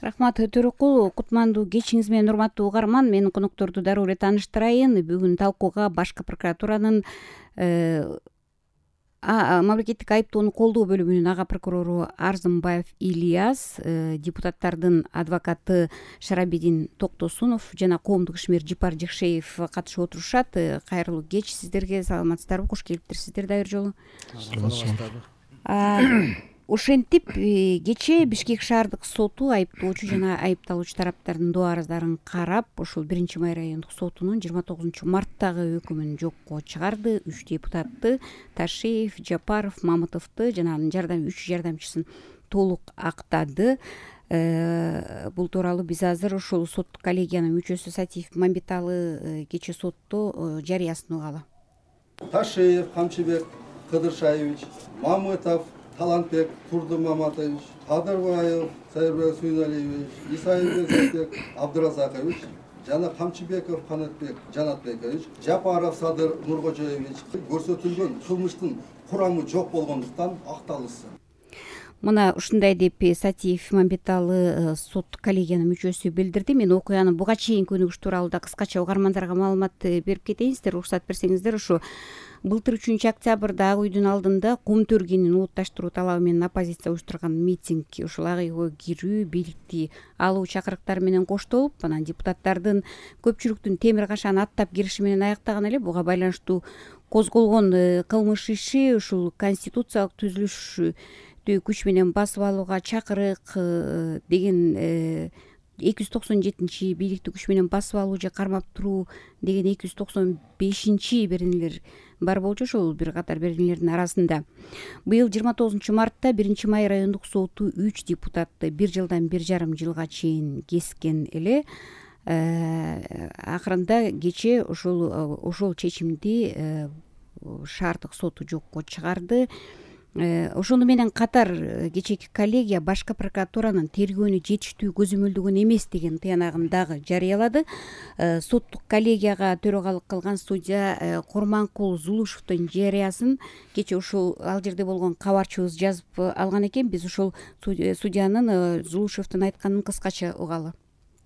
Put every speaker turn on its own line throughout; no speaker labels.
Рахмат Төрөкул, кутмандуу кечиңиз менен урматтуу угарман. Мен конокторду дароо эле тааныштырайын. Бүгүн талкууга Башкы прокуратуранын мамлекеттик айыптоону колдоо бөлүмүнүн ага прокурору Арзымбаев Ильяс, депутаттардын адвокаты Шарабидин Токтосунов жана коомдук ишмер Жипар Жекшеев катышып отурушат. Кайрылуу кеч сиздерге, саламатсыздарбы, кош келиптирсиздер дагы бир жолу. Ошентип кечээ Бишкек шаардык соту айыптоочу жана айыпталуучу тараптардын доо арыздарын карап, ушул 1-май райондук сотунун 29 марттагы өкүмүн жокко чыгарды. 3 депутатты Ташиев, Жапаров, Мамытовду жана анын 3 жардамчысын толук актады. Бул тууралуу биз азыр ушул соттук коллегиянын мүчөсү Сатиев Мамбеталы кечээ сотто жарыясын угалы.
Ташиев Камчыбек Кыдыршаевич, Мамытов Талантбек Турдумаматович, Кадырбаев Сайырбек Сүйналиевич, Исаевбек Абдыразакович жана Камчыбеков Канатбек Жанатбекович, Жапаров Садыр Нуркожоевич көрсөтүлгөн кылмыштын курамы жок болгондуктан акталышсын.
Мына ушундай деп Сатиев Мамбеталы соттук коллегиянын мүчөсү билдирди. Мен окуянын буга чейинки өнүгүш тууралуу да кыскача угармандарга маалымат берип кетейинсиздер. Уруксат берсеңиздер, ушу былтыр 3-октябрда Ак үйдүн алдында кум төргенин уутташтыруу талабы менен оппозиция уюштурган митинг, ушул ак үйгө кирүү, бийликти алуу чакырыктары менен коштолуп, анан депутаттардын көпчүлүктүн темир кашаны аттап кириши менен аяктаган эле. Буга байланыштуу козголгон кылмыш иши ушул конституциялык түзүлүштү күч менен басып алууга чакырык деген 297 бийликти күч менен басып алуу же кармап туруу деген 295 беренелер бар болчу. Ошол бир катар беренелердин арасында быйыл 29 мартта 1-май райондук соту 3 депутатты 1 жылдан 1,5 жылга чейин кескен эле. Акырында кечээ ошол чечимди шаардык соту жокко чыгарды. Ошону менен катар кечээки коллегия Башкы прокуратуранын тергөөнү жетиштүү көзөмөлдөгөн эмес деген тыянагын дагы жарыялады. Соттук коллегияга төрөгалык кылган судья Курманкул Зулушевдун жарыясын кечээ ушул ал жерде болгон кабарчыбыз жазып алган экен. Биз ушул судьянын Зулушевдун айтканын кыскача угалы.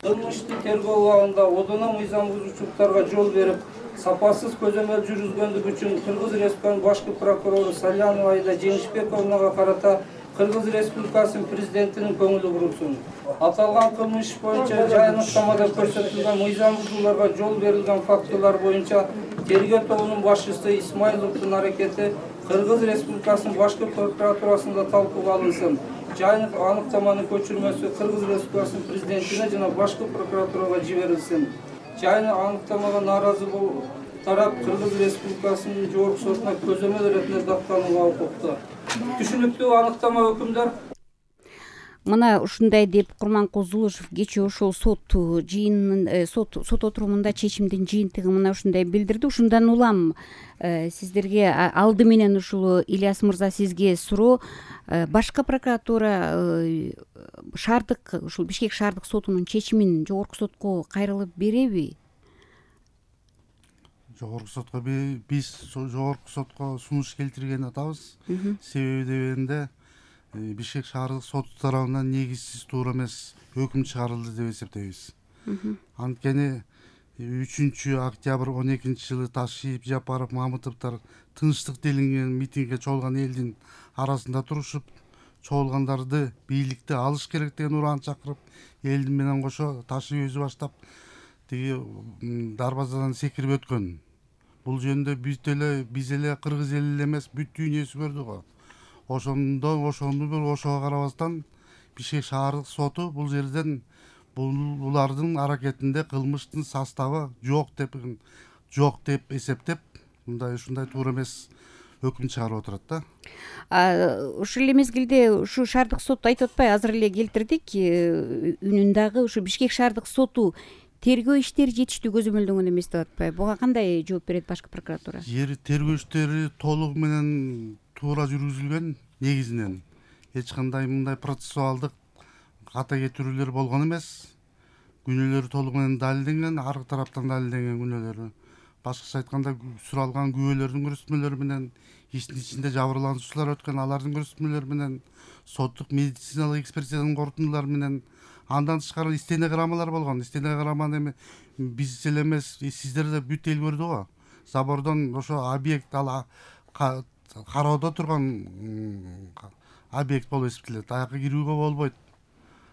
Кылмыштын тергөө убагында одоно мыйзам бузуучулуктарга жол берип, сапасыз көзөмөл жүргүзгөндүгү үчүн Кыргыз Республикасынын башкы прокурору Салянова Айда Жеңишбековнага карата Кыргыз Республикасынын президентинин көңүлү бурулсун. Аталган кылмыш боюнча жайыныктамада көрсөтүлгөн мыйзам бузууларга жол берилген фактылар боюнча тергөө тобунун башчысы Исмайловдун аракети Кыргыз Республикасынын башкы прокуратурасында талкууга алынсын. Жайынык аныктаманын көчүрмөсү Кыргыз Республикасынын президентине жана башкы прокуратурага жиберилсин. Жайынык аныктамага нааразы тарап Кыргыз Республикасынын жогорку сотуна көзөмөл иретинде даттанууга укуктуу. Түшүнүктүү аныктама өкүмдөр.
Мына ушундай деп Курманкул Зулушев кечээ ошол сот отурумунда чечимдин жыйынтыгын мына ушундай билдирди. Ушундан улам сиздерге алды менен ушул Ильяс мырза сизге суроо. Башкы прокуратура шаардык ушул Бишкек шаардык сотунун чечимин жогорку сотко кайрылып береби?
Жогорку сотко биз жогорку сотко сунуш келтирген атабыз. Себеби дегенде Бишкек шаардык соту тарабынан негизсиз туура эмес өкүм чыгарылды деп эсептейбиз. Анткени 3-октябрь 12-жылы Ташиев, Жапаров, Мамытовдор тынчтык делинген митингге чогулган элдин арасында турушуп, чогулгандарды бийликти алыш керек деген ураан чакырып, элдин менен кошо Ташиев өзү баштап тиги дарбазадан секирип өткөн. Бул жөнүндө биз эле кыргыз эли эле эмес, бүт дүйнөсү көрдү го. Ошого карабастан Бишкек шаардык соту бул жерден булардын аракетинде кылмыштын составы жок деп эсептеп, ушундай туура эмес өкүм чыгарып отурат да.
Ушул эле мезгилде ушу шаардык сот айтып атпайбы, азыр эле келтирдик үнүн дагы, ушу Бишкек шаардык соту тергөө иштери жетиштүү көзөмөлдөнгөн эмес деп атпайбы? Буга кандай жооп берет башкы прокуратура?
Тергөө иштери толугу менен туура жүргүзүлгөн негизинен. Эч кандай мындай процессуалдык ката кетирүүлөр болгон эмес. Күнөөлөр толугу менен далилденген, ар тараптан далилденген күнөөлөрү. Башкача айтканда суралган күбөлөрдүн көрсөтмөлөрү менен, иштин ичинде жабырлануучулар өткөн алардын көрсөтмөлөрү менен, соттук медициналык экспертизанын корутундулары менен Андан тышкары стенограммалар болгон. Стенограмманы эми биз эле эмес, сиздер да бүт эл көрдү го. Забордон ошо объект кароодо турган объект болуп эсептелет. Аяка кирүүгө болбойт.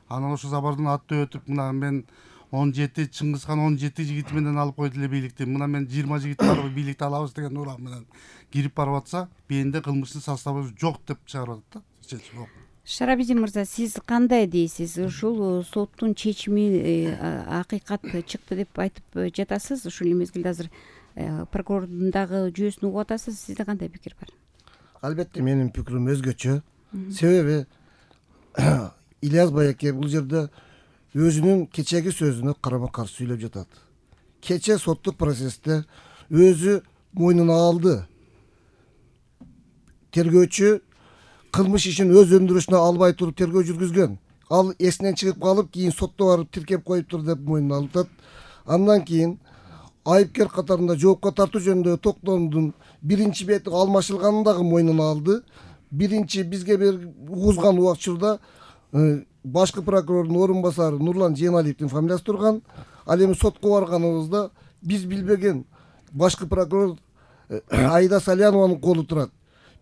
Анан ошо забордон аттап өтүп, мына мен 17 Чыңгызхан 17 жигити менен алып койду эле бийликти. Мына мен 20 жигит барып бийликти алабыз деген уран менен кирип барып атса, бенде кылмыштын составы жок деп чыгарып атат да.
Шарабидин мырза, сиз кандай дейсиз? Ушул соттун чечими акыйкат чыкты деп айтып жатасыз. Ушул мезгилде азыр прокурордун дагы жүйөсүн угуп атасыз. Сизде кандай пикир бар?
Албетте менин пикирим өзгөчө. Себеби Ильяс байке бул жерде өзүнүн кечеги сөзүнө карама каршы сүйлөп жатат. Кече соттук процессте өзү мойнуна алды. Тергөөчү кылмыш ишин өз өндүрүшүнө албай туруп тергөө жүргүзгөн. Ал эсинен чыгып калып, кийин сотто барып тиркеп коюптур деп мойнуна алып атат. Андан кийин айыпкер катарында жоопко тартуу жөнүндө токтомдун биринчи бети алмашылганын дагы мойнуна алды. Биринчи бизге угузган убакчылда башкы прокурордун орун басары Нурлан Жейналиевдин фамилиясы турган. Ал эми сотко барганыбызда биз билбеген башкы прокурор Айда Салянованын колу турат.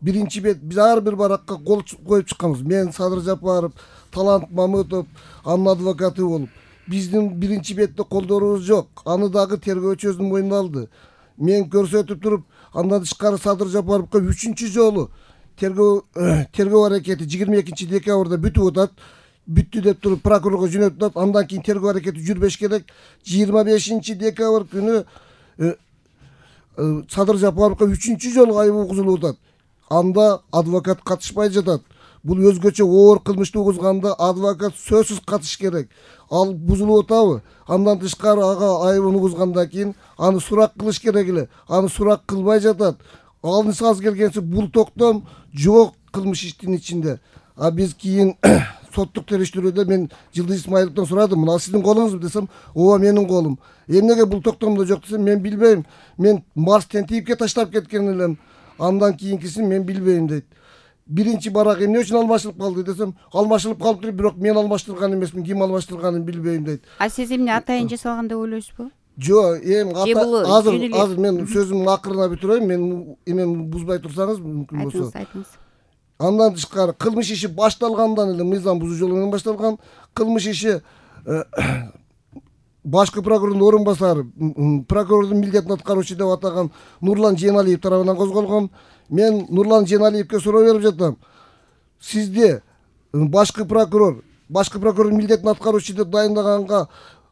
Биринчи бет биз ар бир баракка кол коюп чыкканбыз. Мен Садыр Жапаров, Талант Мамытов, анын адвокаты болуп. Биздин биринчи бетте колдорубуз жок. Аны дагы тергөөчү өзүнүн мойнуна алды. Мен көрсөтүп туруп, андан тышкары Садыр Жапаровго 3-чү жолу тергөө аракети 22 декабрда бүтүп атат. Бүттү деп туруп прокурорго жөнөтүп атат. Андан кийин тергөө аракети жүрбөш керек. 25 декабрь күнү Садыр Жапаровго 3-чү жолу айып угузулуп атат. Анда адвокат катышпай жатат. Бул өзгөчө оор кылмышты угузганда адвокат сөзсүз катыш керек. Ал бузулуп атабы? Андан тышкары ага айыбын угузгандан кийин аны сурак кылыш керек эле. Аны сурак кылбай жатат. Алынса аз келгенсе бул токтом жок кылмыш иштин ичинде. А биз кийин соттук териштирүүдө мен Жылдыз Исмаиловдон сурадым. Мына сиздин колуңузбу десем, ооба менин колум. Эмнеге бул токтомдо жок десем, мен билбейм. Мен Марстен тийипке таштап кеткен элем. Андан кийинкисин мен билбейм дейт. Биринчи барак эмне үчүн алмашылып калды десем, алмашылып калыптыр, бирок мен алмаштырган эмесмин, ким алмаштырганын билбейм дейт.
А сиз эмне атайын жасалган деп ойлойсузбу?
Жок, азыр мен сөзүмдүн акырына бүтүрөйм, мен эмени бузбай турсаңыз мүмкүн болсо.
Айтыңыз.
Андан тышкары кылмыш иши башталгандан эле мыйзам бузуу жолу менен башталган. Кылмыш иши башкы прокурордун орун басары, прокурордун милдетин аткаруучу деп атаган Нурлан Жейналиев тарабынан козголгон. Мен Нурлан Жейналиевке суроо берип жатам. Сизде башкы прокурордун милдетин аткаруучу деп дайындаганга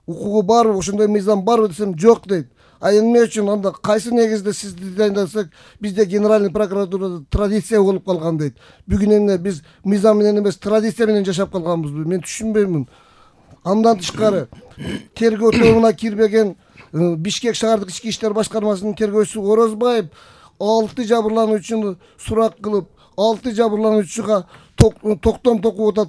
укугу барбы, ошондой мыйзам барбы десем, жок дейт. А эмне үчүн анда кайсы негизде сизди дайындасак, бизде генеральный прокуратурада традиция болуп калган дейт. Бүгүн эмне биз мыйзам менен эмес, традиция менен жашап калганбызбы? Мен түшүнбөймүн. Андан тышкары тергөө тобуна кирбеген Бишкек шаардык ички иштер башкармасынын тергөөчүсү Орозбаев 6 жабырлануучуну сурак кылып, 6 жабырлануучуга токтом токуп атат.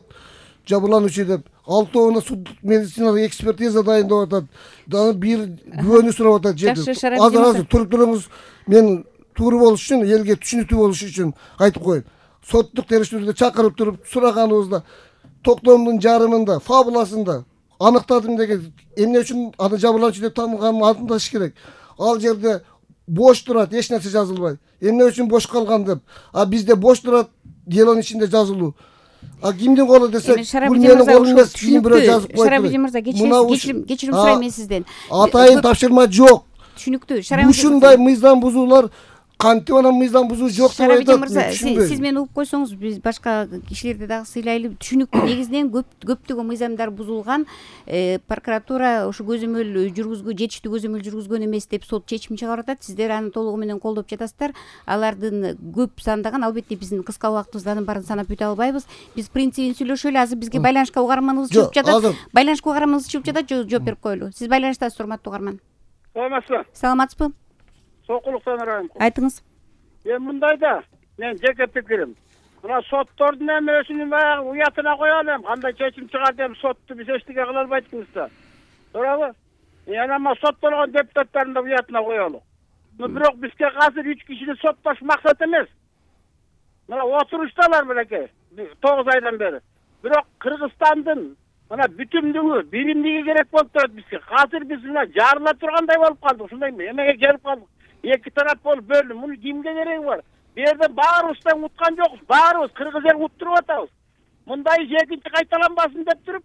Жабырлануучу деп 6-ына суддук медициналык экспертиза дайындап атат. Дагы бир күбөнү сурап атат жерде. Азыр туруп туруңуз. Мен туура болуш үчүн, элге түшүнүктүү болуш үчүн айтып коеюн. Соттук териштирүүдө чакырып туруп сураганыбызда токтомдун жарымында, фабуласында аныктадым деген эмне үчүн аны жабырлануучу деп танылганын антыш керек. Ал жерде бош турат, эч нерсе жазылбай. Эмне үчүн бош калган деп. А бизде бош турат, делонун ичинде жазылуу. А кимдин колу десек, бул менин колум эмес, кийин бирөө жазып койду.
Шарабидин мырза, кечирим сурайм мен сизден.
Атайын тапшырма жок.
Түшүнүктүү.
Ушундай мыйзам бузуулар кантип анан мыйзам бузуу жок деп айтат.
Шарабидин мырза, сиз мени угуп койсоңуз, биз башка кишилерди дагы сыйлайлы. Түшүнүктүү. Негизинен көптөгөн мыйзамдар бузулган. Прокуратура ошо көзөмөл жүргүзгө, жетиштүү көзөмөл жүргүзгөн эмес деп сот чечим чыгарып атат. Сиздер аны толугу менен колдоп жатасыздар. Алардын көп сандаган, албетте биздин кыска убактыбызда анын баарын санап бүтө албайбыз. Биз принцибин сүйлөшөлү. Азыр бизге байланышка угарманыбыз чыгып жатат. Байланышка угарманыбыз чыгып жатат, жооп берип коелу. Сиз байланыштасыз, урматтуу угарман. Саламатсызбы?
Сокулуктан арайым.
Айтыңыз.
Мен мындайда, мен жеке пикирим. Мына соттордун эмесинин баягы уятына коелу. Кандай чечим чыгар деп сотту биз эчтеке кыла албайбыз да. Туурабы? Анан соттолгон депутаттардын да уятына коелу. Бирок бизге азыр 3 кишини соттош максат эмес. Мына отурушталар белеке 9 айдан бери. Бирок Кыргызстандын мына бүтүмдүгү, биримдиги керек болуп турат бизге. Азыр биз мына жарыла тургандай болуп калдык, ушундайбы? Эмеге келип калдык. Эки тарап болуп бөлүнүп, муну кимге кереги бар? Бу жерден баарыбыздан уткан жокпуз, баарыбыз кыргыз эл уттуруп атабыз. Мындай иш экинчи кайталанбасын деп туруп,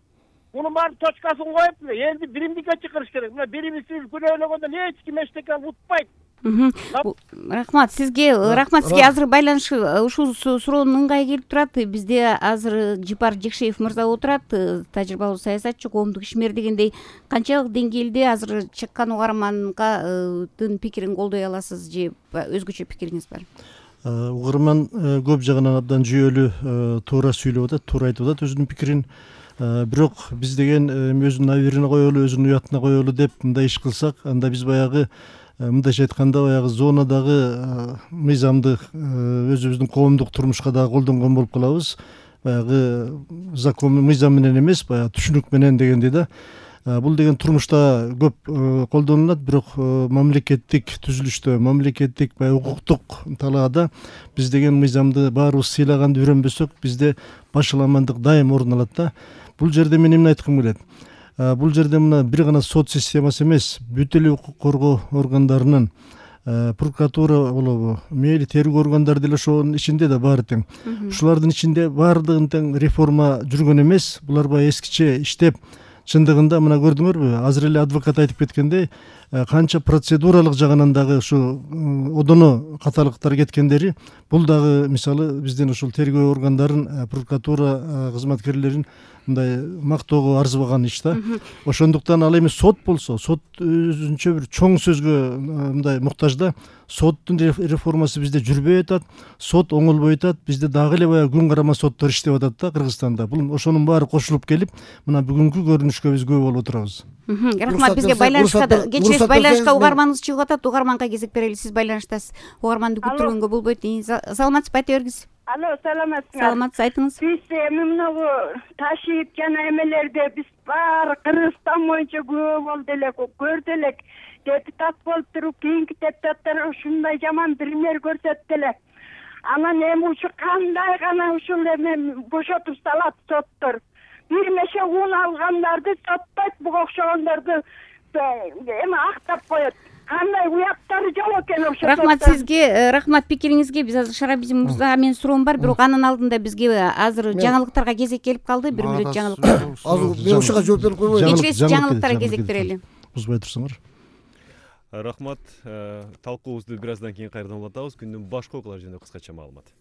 мунун баарын точкасын коюп, элди биримдикке чакырыш керек. Мына бирибизди күнөөлөгөндө эч ким эчтеке утпайт.
Рахмат сизге. Азыр байланыш ушул суроонун ыңгайы келип турат. Бизде азыр Жипар Жекшеев мырза отурат, тажрыйбалуу саясатчы, коомдук ишмер дегендей. Канчалык деңгээлде азыр чыккан угармандын пикирин колдой аласыз же өзгөчө пикириңиз бар?
Угарман көп жагынан абдан жүйөлүү туура сүйлөп атат, туура айтып атат өзүнүн пикирин. Бирок биз деген өзүнүн абийирине коелу, өзүнүн уятына коелу деп мындай иш кылсак, анда биз баягы мындайча айтканда баягы зонадагы мыйзамды өзүбүздүн коомдук турмушка дагы колдонгон болуп калабыз. Баягы закон мыйзам менен эмес, баягы түшүнүк менен дегендей да. Бул деген турмушта көп колдонулат, бирок мамлекеттик түзүлүштө, мамлекеттик баягы укуктук талаада биз деген мыйзамды баарыбыз сыйлаганды үйрөнбөсөк, бизде башаламандык дайым орун алат да. Бул жерде мен эмне айткым келет? Бул жерде мына бир гана сот системасы эмес, бүт эле укук коргоо органдарынын, прокуратура болобу, мейли тергөө органдары деле ошонун ичинде да баары тең. Ушулардын ичинде баардыгын тең реформа жүргөн эмес. Булар баягы эскиче иштеп, чындыгында мына көрдүңөрбү, азыр эле адвокат айтып кеткендей, канча процедуралык жагынан дагы ушу одоно каталыктар кеткендери, бул дагы мисалы биздин ушул тергөө органдарын, прокуратура кызматкерлерин мындай мактоого арзыбаган иш да. Ошондуктан ал эми сот болсо, сот өзүнчө бир чоң сөзгө мындай муктаж да. Соттун реформасы бизде жүрбөй атат, сот оңолбой атат, бизде дагы эле баягы күн карама соттор иштеп атат да Кыргызстанда. Бул ошонун баары кошулуп келип, мына бүгүнкү көрүнүшкө биз күбө болуп отурабыз.
Рахмат, бизге байланышка угарманыбыз чыгып атат. Угарманга кезек берели. Сиз байланыштасыз. Угарманды күттүргөнгө болбойт. Саламатсызбы, айта бергиз.
Алло, саламатсызбы?
Саламатсыз, айтыңыз.
Биз эми мынагу ташип жана эмелерде биз баары Кыргызстан боюнча күбө болду эле, көрдү элек. Депутат болуп туруп, кийинки депутаттар ушундай жаман пример көрсөттү эле. Анан эми ушу кандай гана ушул эми бошотуп салат соттор. Бир нече ун алгандарды соттойт, буга окшогондорду эми актап коет. Кандай уяттары жок экен ошо.
Рахмат сизге, рахмат пикириңизге. Биз азыр Шарабиздин мырзага менин суроом бар, бирок анын алдында бизге азыр жаңылыктарга кезек келип калды. 1 мүнөт жаңылык.
Азыр мен ушуга жооп берип койбойм.
Кечиресиз, жаңылыктарга кезек берели.
Узбай турсаңар.
Рахмат. Талкуубузду бир аздан кийин кайрадан улантабыз. Күндүн башка окуялары жөнүндө кыскача маалымат.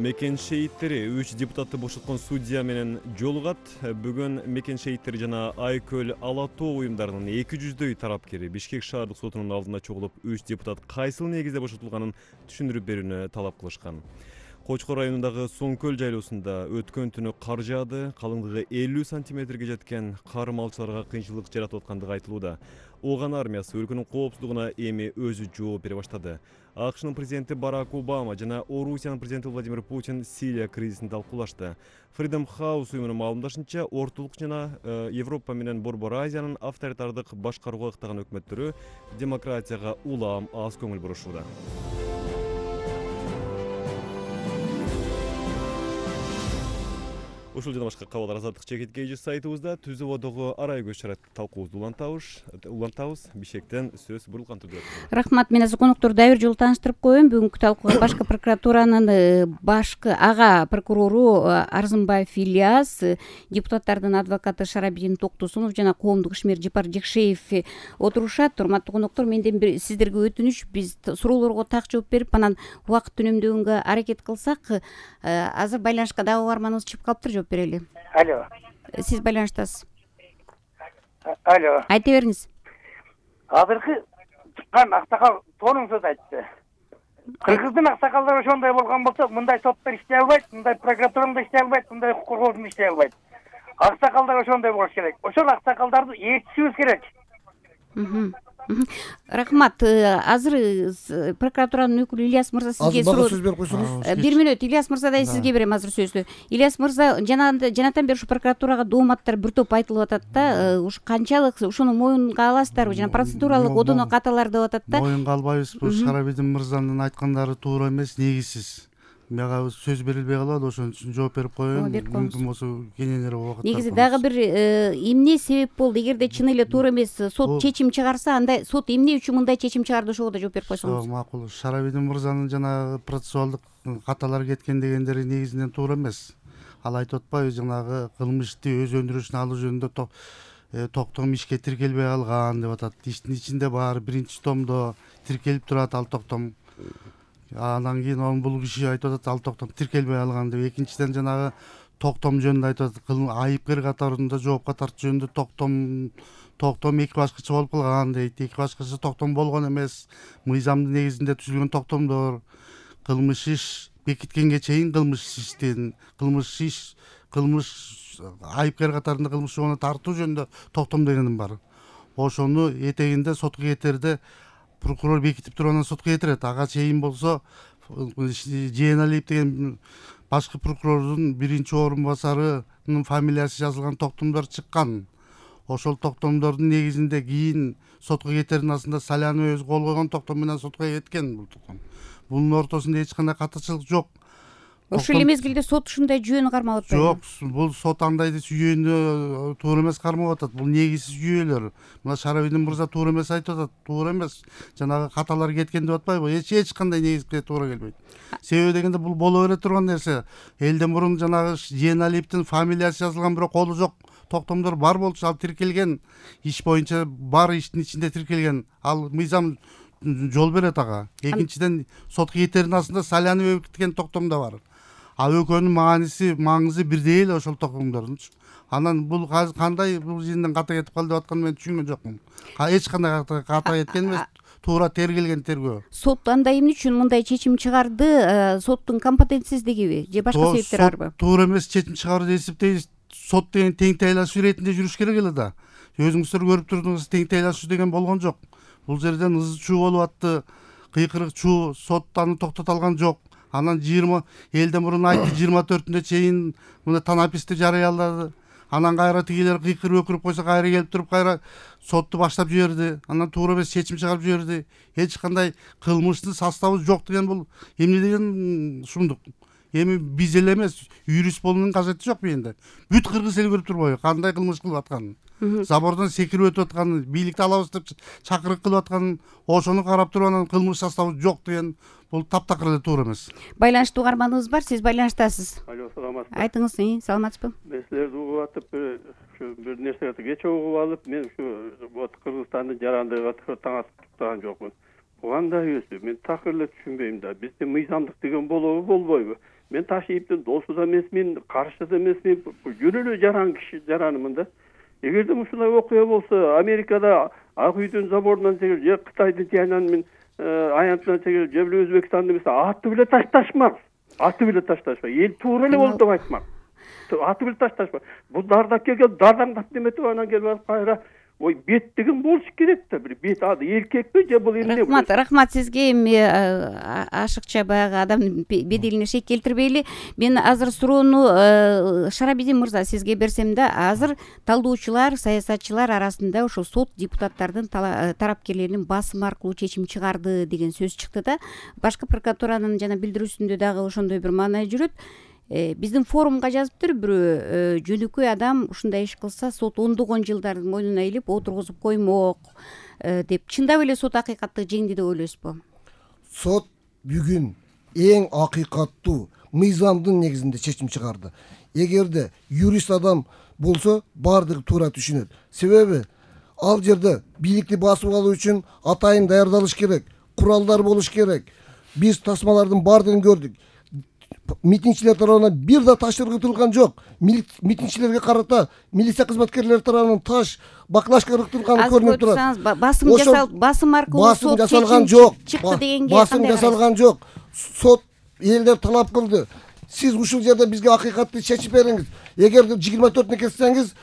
Мекен шейиттери 3 депутатты бошоткон судья менен жолугат. Бүгүн Мекен шейиттери жана Айкөл Ала Тоо уюмдарынын 200дөй тарапкери Бишкек шаардык сотунун алдына чогулуп, 3 депутат кайсыл негизде бошотулганын түшүндүрүп берүүнү талап кылышкан. Кочкор районундагы Соңкөл жайлоосунда өткөн түнү кар жаады, калыңдыгы 50 сантиметрге жеткен кар малчыларга кыйынчылык жаратып аткандыгы айтылууда. Ооган армиясы өлкөнүн коопсуздугуна эми өзү жооп бере баштады. АКШнын президенти Барак Обама жана Орусиянын президенти Владимир Путин Сирия кризисин талкуулашты. Freedom House уюмунун маалымдашынча, ортолук жана Европа менен Борбор Азиянын авторитардык башкарууга ыктаган өкмөттөрү демократияга улам аз көңүл бурушууда. Ушул жана башка кабарлар азаттык чекиткейжи сайтыбызда түзүп одогу арай көз чарат талкуубузду улантабыз. Бишкектен сөз бурулган түрдө.
Рахмат, мен азыр конокторду дагы бир жолу тааныштырып коеюн. Бүгүнкү талкууга башкы прокуратуранын башкы ага прокурору Арзымбаев Ильяс, депутаттардын адвокаты Шарабидин Токтосунов жана коомдук ишмер Жипар Жекшеев отурушат. Урматтуу коноктор, менден сиздерге өтүнүч, биз суроолорго так жооп берип, анан убакыт үнөмдөгөнгө аракет кылсак, азыр байланышка дагы угарманыбыз чыгып калыптыр, жооп берели.
Алло.
Сиз байланыштасыз.
Алло.
Айта бериңиз.
Азыркы чыккан аксакал тоонун сөз айтты. Кыргыздын аксакалдары ошондой болгон болсо, мындай соттор иштей албайт, мындай прокуратура да иштей албайт, мындай укук коргоочу иштей албайт. Аксакалдар ошондой болуш керек. Ошол аксакалдарды ээрчишибиз керек.
Рахмат. Азыр прокуратуранын өкүлү Ильяс мырза сизге суроо.
Сөз берип койсоңуз.
1 мүнөт Ильяс мырза да сизге берем азыр сөздү. Ильяс мырза, жанатан бери ушу прокуратурага дооматтар бир топ айтылып атат да. Ушу канчалык ушуну моюнга аласыздарбы? Жана процедуралык одоно каталар деп атат да.
Моюнга албайбыз. Бул Шарабидин мырзанын айткандары туура эмес, негизсиз. мага сөз берилбей калат, ошон үчүн жооп берип коеюн. Мүмкүн болсо кененирээк убакыт.
Негизи дагы бир эмне себеп болду? Эгерде чын эле туура эмес сот чечим чыгарса, анда сот эмне үчүн мындай чечим чыгарды, ошого да жооп берип койсоңуз.
Макул. Шарабидин мырзанын жанагы процессуалдык каталар кеткен дегендери негизинен туура эмес. Ал айтып атпайбы, жанагы кылмышты өз өндүрүшүнө алуу жөнүндө токтом ишке тиркелбей калган деп атат. Иштин ичинде баары биринчи томдо тиркелип турат ал токтом. Андан кийин бул киши айтып атат, ал токтом тиркелбей калган деп. Экинчиден жанагы токтом жөнүндө айтып атат, айыпкер катарында жоопко тартуу жөнүндө токтом эки башкача болуп калган дейт. Эки башкача токтом болгон эмес. Мыйзамдын негизинде түзүлгөн токтомдор. Кылмыш иш бекиткенге чейин кылмыш айыпкер катарында кылмыш жообуна тартуу жөнүндө токтом дегеним бар. Ошону этегинде сотко кетерде прокурор бекитип туруп анан сотко кетирет. Ага чейин болсо Жээналиев деген башкы прокурордун биринчи орун басарынын фамилиясы жазылган токтомдор чыккан. Ошол токтомдордун негизинде кийин сотко кетердин астында Салянов өзү кол койгон токтом менен сотко кеткен бул токтом. Бунун ортосунда эч кандай катычылык жок.
Ошол эле мезгилде сот ушундай жүйөнү кармап атпайбы?
Жок, бул сот андай жүйөнү туура эмес кармап атат. Бул негизсиз жүйөлөр. Мына Шарабидин мырза туура эмес айтып атат. Туура эмес. Жанагы каталар кеткен деп атпайбы? Эч кандай негизге туура келбейт. Себеби дегенде бул боло бере турган нерсе. Элден мурун жанагы Жээналиевдин фамилиясы жазылган, бирок колу жок токтомдор бар болчу, ал тиркелген. Иш боюнча бар иштин ичинде тиркелген. Ал мыйзам жол берет ага. Экинчиден сотко кетердин астында Салянов бекиткен токтом да бар. Экөөнүн маңызы бирдей эле ошол токтомдордунчу. Анан бул кандай бул жерден ката кетип калды деп атканын мен түшүнгөн жокмун. Эч кандай ката кеткен эмес, туура тергелген тергөө.
Сот анда эмне үчүн мындай чечим чыгарды? Соттун компетенцисиздигиби же башка себептер барбы?
Туура эмес чечим чыгарды деп эсептейбиз. Сот деген тең тайлашуу иретинде жүрүш керек эле да. Өзүңүздөр көрүп турдуңуз, тең тайлашуу деген болгон жок. Бул жерден ызы чуу болуп атты, кыйкырык чуу, сот аны токтото алган жок. Анан элден мурун айтты 24-үндө чейин мына танаписти жарыялады. Анан кайра тигилер кыйкырып өкүрүп койсо кайра келип туруп кайра сотту баштап жиберди. Анан туура эмес чечим чыгарып жиберди. Эч кандай кылмыштын составы жок деген бул эмне деген шумдук. Эми биз эле эмес, юрист болуунун кажети жок менде. Бүт кыргыз эл көрүп турбайбы кандай кылмыш кылып атканын. Забордон секирип өтүп атканын, бийликти алабыз деп чакырык кылып атканын, ошону карап туруп анан кылмыш составы жок деген бул таптакыр эле туура эмес.
Байланыштуу угарманыбыз бар, сиз байланыштасыз.
Алло, саламатсызбы?
Айтыңыз, саламатсызбы?
Мен силерди угуп атып, бир нерсе кече угуп алып, мен Кыргызстандын жарандыгы таң атып турган жокмун. Бул кандай өзү? Мен такыр эле түшүнбөйм да. Бизде мыйзамдык деген болобу, болбойбу? Мен Ташиевдин досу да эмесмин, каршы да эмесмин. Жөн эле жаран киши жаранымын да. Эгерде ушундай окуя болсо, Америкада Ак үйдүн заборунан же Кытайдын Тяньанмин аянтынан же Өзбекстандын эмес аты биле ташташмак. Эл туура эле болду деп айтмак. Аты биле ташташмак. Бул дардап келген дардаңдап неметип анан келип кайра ой бет деген болуш керек да, бир бет ады эркекпи же бул эмне?
Рахмат сизге. Эми ашыкча баягы адамдын беделине шек келтирбейли. Мен азыр суроону Шарабидин мырза сизге берсем да, азыр талдоочулар, саясатчылар арасында ошо сот депутаттардын тарапкерлеринин басым аркылуу чечим чыгарды деген сөз чыкты да. Башкы прокуратуранын жана билдирүүсүндө дагы ошондой бир маанай жүрөт. Биздин форумга жазыптыр бирөө, жөнөкөй адам ушундай иш кылса сот ондогон жылдар мойнуна илип отургузуп коймок деп. Чындап эле сот акыйкатты жеңди деп ойлойсузбу?
Сот бүгүн эң акыйкаттуу мыйзамдын негизинде чечим чыгарды. Эгерде юрист адам болсо баардыгы туура түшүнөт. Себеби ал жерде бийликти басып алуу үчүн атайын даярдалыш керек, куралдар болуш керек. Биз тасмалардын баардыгын көрдүк. Митингчилер тарабынан бир да таш ыргытылган жок. Митингчилерге карата милиция кызматкерлери тарабынан таш, баклажка ыргытылганы көрүнүп турат.
Басым аркылуу
сот жасалган жок.
Чыкты дегенге
басым жасалган жок. Сот элдер талап кылды. Сиз ушул жерде бизге акыйкатты чечип бериңиз. Эгерде 24-үнө кетсеңиз,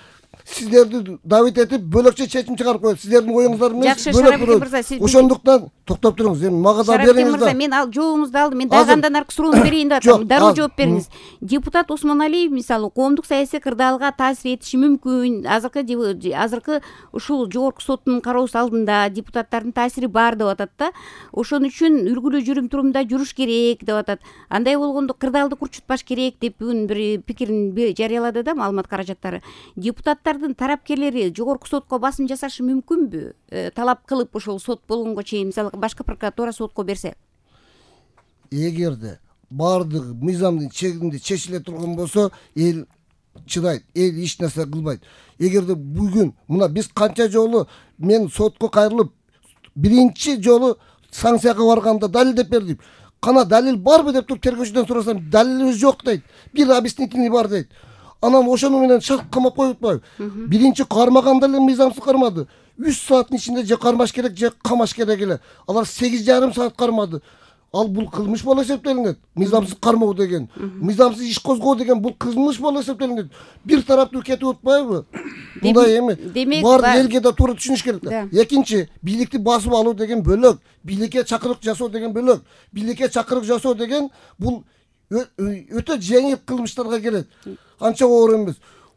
сиздерди давить этип бөлөкчө чечим чыгарып коет. Сиздердин оюңуздар менен
жакшы, Шарапбек мырза, сиз
ошондуктан токтоп туруңуз. Эми мага да
Шарапбек
бериңиз
мырза,
да.
мен ал жообуңузду алдым. Мен дагы андан аркы суроону берейин деп атам. Дароо жооп бериңиз. Депутат Осмоналиев мисалы коомдук саясий кырдаалга таасир этиши мүмкүн. Азыркы ушул жогорку соттун кароосу алдында депутаттардын таасири бар деп атат да. Ошон үчүн үлгүлүү жүрүм турумда жүрүш керек деп атат. Андай болгондо кырдаалды курчутпаш керек деп бүгүн бир пикирин жарыялады да маалымат каражаттары. Депутаттардын тарапкерлери жогорку сотко басым жасашы мүмкүнбү? Талап кылып ошол сот болгонго чейин мисалы башкы прокуратура сотко берсе.
Эгерде баардыгы мыйзамдын чегинде чечиле турган болсо, эл чыдайт, эл эч нерсе кылбайт. Эгерде бүгүн мына биз канча жолу мен сотко кайрылып биринчи жолу санкцияга барганда далилдеп бердим. Кана далил барбы деп туруп тергөөчүдөн сурасам, далилибиз жок дейт. Бир объяснительный бар дейт. Анан ошону менен шарт камап коюп атпайбы? Биринчи кармаганда эле мыйзамсыз кармады. 3 сааттын ичинде же кармаш керек, же камаш керек эле. Алар 8,5 саат кармады. Ал бул кылмыш болуп эсептелинет. Мыйзамсыз кармоо деген, мыйзамсыз иш козгоо деген бул кылмыш болуп эсептелинет. Бир тараптуу кетип атпайбы? Мындай эми. Баардык элге да туура түшүнүш керек да. Экинчи, бийликти басып алуу деген бөлөк, бийликке чакырык жасоо деген бөлөк. Бийликке чакырык жасоо деген бул өтө жеңил кылмыштарга кирет. Анча оор эмес.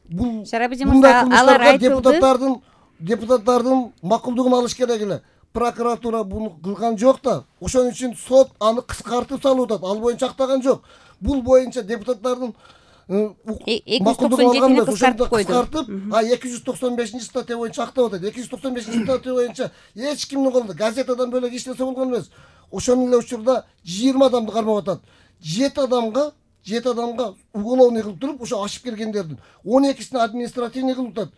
Бул алар айтылды. Депутаттардын макулдугун алыш керек эле. Прокуратура буну кылган жок да. Ошон үчүн сот аны кыскартып салып атат. Ал боюнча актаган жок. Бул боюнча депутаттардын 297-ни кыскартып койду. 295-статья боюнча актап атат. 295-статья боюнча эч кимдин колунда газетадан бөлөк эч нерсе болгон эмес. Ошон эле учурда 20 адамды кармап атат. 7 адамга уголовный кылып туруп, ошо ашып киргендердин 12-сине административный кылып атат.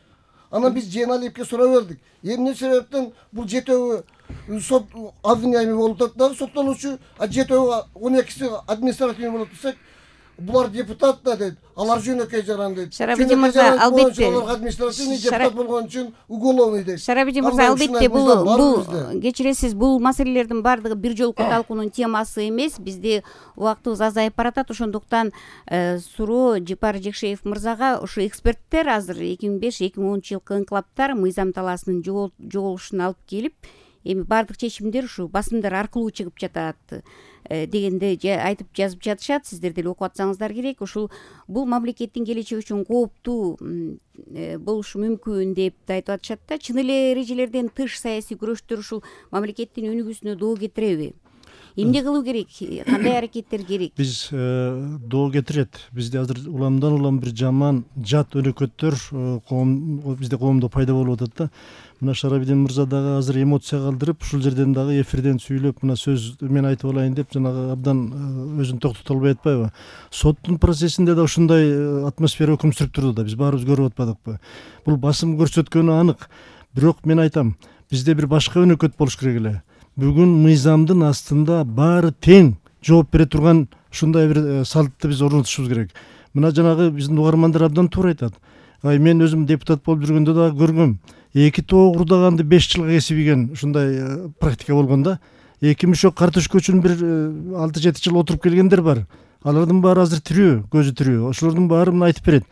Анан биз Жээналиевке суроо бердик. Эмне себептен бул 7 сот обвиняемый болуп атат да, соттолуучу, а 12-си административный болуп атсак, булар депутат да дейт. Алар жөнөкөй жаран дейт.
Шарапбек мырза, албетте
административный депутат болгон үчүн уголовный дейт.
Шарапбек мырза, албетте бул кечиресиз, бул маселелердин баардыгы бир жолку талкуунун темасы эмес. Бизде убактыбыз азайып баратат. Ошондуктан суроо Жапар Жекшеев мырзага, ошо эксперттер азыр 2005-2010 жылкы инкылаптар мыйзам талаасынын жоголушун алып келип, эми баардык чечимдер ушу басымдар аркылуу чыгып жатат дегенде айтып жазып жатышат. Сиздер деле окуп атсаңыздар керек. Ушул бул мамлекеттин келечеги үчүн кооптуу болушу мүмкүн деп айтып атышат да. Чын эле эрежелерден тыш саясий күрөштөр ушул мамлекеттин өнүгүүсүнө доо кетиреби? Эмне кылуу керек? Кандай аракеттер керек?
Биз доо кетирет. Бизде азыр уламдан улам бир жаман жат өнөкөттөр бизде коомдо пайда болуп атат да. Мына Шарабидин мырза дагы азыр эмоция калтырып, ушул жерден дагы эфирден сүйлөп, мына сөз мен айтып алайын деп жанагы абдан өзүн токтото албай атпайбы? Соттун процессинде да ушундай атмосфера өкүм сүрүп турду да. Биз баарыбыз көрүп атпадыкпы? Бул басым көрсөткөнү анык. Бирок мен айтам, бизде бир башка өнөкөт болуш керек эле. Бүгүн мыйзамдын астында баары тең жооп бере турган ушундай бир салтты биз орнотушубуз керек. Мына жанагы биздин угармандар абдан туура айтат. Мен өзүм депутат болуп жүргөндө дагы көргөм. 2 тоо курдаганды 5 жылга кесип ийген ушундай практика болгон да. 2 мешок картошка үчүн бир 6-7 жыл отуруп келгендер бар. Алардын баары азыр тирүү, көзү тирүү. Ошолордун баары мына айтып берет.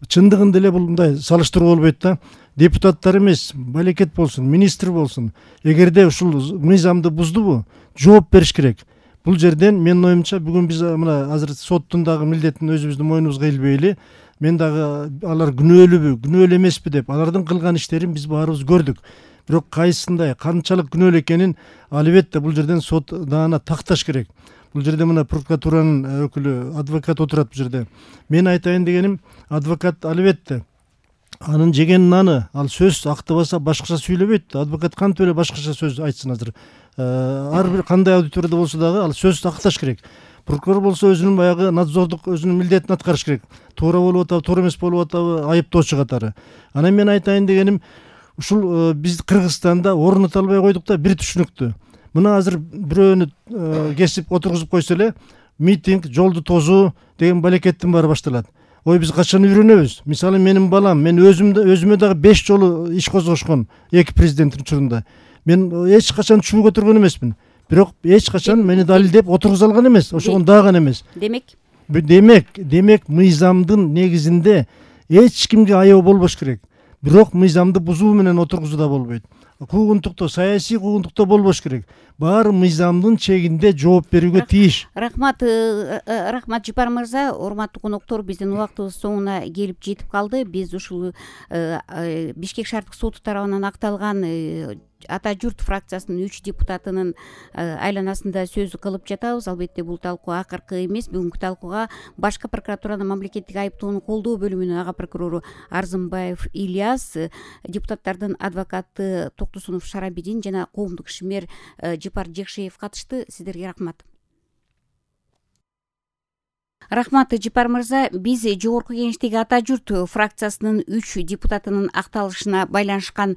Чындыгында эле бул мындай салыштыруу болбойт да. Депутаттар эмес, балекет болсун, министр болсун. Эгерде ушул мыйзамды буздубу, жооп бериш керек. Бул жерден менин оюмча бүгүн биз мына азыр соттун дагы милдетин өзүбүздүн мойнубузга илбейли. Мен дагы алар күнөөлүүбү, күнөөлүү эмеспи деп алардын кылган иштерин биз баарыбыз көрдүк. Бирок кайсындай, канчалык күнөөлүү экенин албетте бул жерден сот даана такташ керек. Бул жерде мына прокуратуранын өкүлү, адвокат отурат бул жерде. Мен айтайын дегеним, адвокат албетте анын жеген наны, ал сөз актабаса башкача сүйлөбөйт. Адвокат кантип эле башкача сөз айтсын азыр. Ар бир кандай аудиторияда болсо дагы ал сөз акташ керек. Прокурор болсо өзүнүн баягы надзордук өзүнүн милдетин аткарыш керек. Туура болуп атабы, туура эмес болуп атабы, айыптоочу катары. Анан мен айтайын дегеним, ушул биз Кыргызстанда орното албай койдук да бир түшүнүктү. Мына азыр бирөөнү кесип отургузуп койсо эле митинг, жолду тозуу деген балекеттин баары башталат. Ой, биз качан үйрөнөбүз? Мисалы менин балам, мен өзүмө дагы 5 жолу иш козгошкон эки президенттин учурунда. Мен эч качан чуу көтөргөн эмесмин. Бирок эч качан мени далилдеп отургуза алган эмес, ошого даган эмес. Демек мыйзамдын негизинде эч кимге аяоо болбош керек. бирок мыйзамды бузуу менен отургузуу да болбойт. Куугунтуктоо, саясий куугунтуктоо болбош керек. Баары мыйзамдын чегинде жооп берүүгө тийиш.
Рахмат, Жипар мырза, урматтуу коноктор, биздин убактыбыз соңуна келип жетип калды. Биз ушул Бишкек шаардык соту тарабынан акталган Ата журт фракциясынын 3 депутатынын айланасында сөз кылып жатабыз. Албетте бул талкуу акыркы эмес. Бүгүнкү талкууга Башкы прокуратуранын мамлекеттик айыптоону колдоо бөлүмүнүн ага прокурору Арзымбаев Ильяс, депутаттардын адвокаты Токтосунов Шарабидин жана коомдук ишмер Жипар Жекшеев катышты. Сиздерге рахмат. Рахмат, Жипар мырза. Биз жогорку кеңештеги Ата журт фракциясынын 3 депутатынын акталышына байланышкан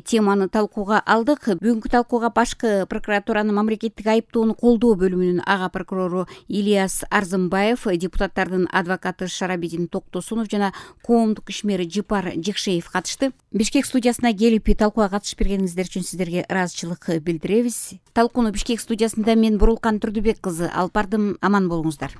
теманы талкууга алдык. Бүгүнкү талкууга Башкы прокуратуранын мамлекеттик айыптоону колдоо бөлүмүнүн ага прокурору Ильяс Арзымбаев, депутаттардын адвокаты Шарабидин Токтосунов жана коомдук ишмери Жипар Жекшеев катышты. Бишкек студиясына келип талкууга катышып бергениңиздер үчүн сиздерге ыраазычылык билдиребиз. Талкууну Бишкек студиясында мен Бурулкан Турдубек кызы алып бардым. Аман болуңуздар.